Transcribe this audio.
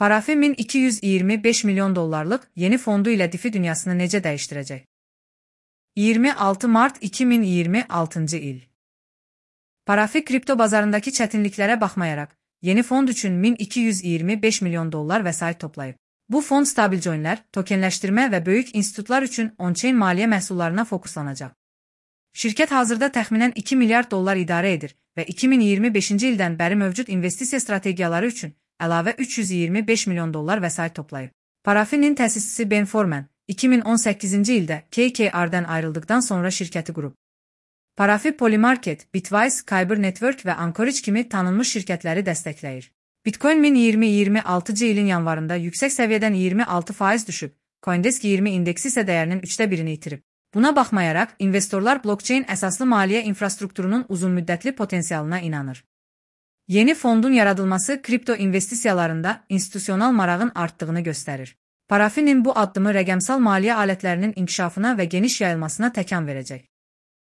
Parafi 1225 milyon dollarlıq yeni fondu ilə DeFi dünyasını necə dəyişdirəcək? 26 Mart 2026-cı il. Parafi kripto bazarındakı çətinliklərə baxmayaraq, yeni fond üçün 1225 milyon dollar vəsait toplayıb. Bu fond stabil coinlər, tokenləşdirmə və böyük institutlar üçün on-chain maliyyə məhsullarına fokuslanacaq. Şirkət hazırda təxminən 2 milyard dollar idarə edir və 2025-ci ildən bəri mövcud investisiya strategiyaları üçün əlavə 325 milyon dollar vəsait toplayıb. Parafinin təsisçisi Ben Forman 2018-ci ildə KKR-dən ayrıldıqdan sonra şirkəti qurub. Parafi Polymarket, Bitwise, Kyber Network və Anchorage kimi tanınmış şirkətləri dəstəkləyir. Bitcoin 2026-cı ilin yanvarında yüksək səviyyədən 26% düşüb, CoinDesk 20 indeksi isə dəyərinin 1/3-ni itirib. Buna baxmayaraq, investorlar blockchain əsaslı maliyyə infrastrukturunun uzunmüddətli potensialına inanır. Yeni fondun yaradılması kripto investisiyalarında institusional marağın artdığını göstərir. Parafinin bu addımı rəqəmsal maliyyə alətlərinin inkişafına və geniş yayılmasına təkan verəcək.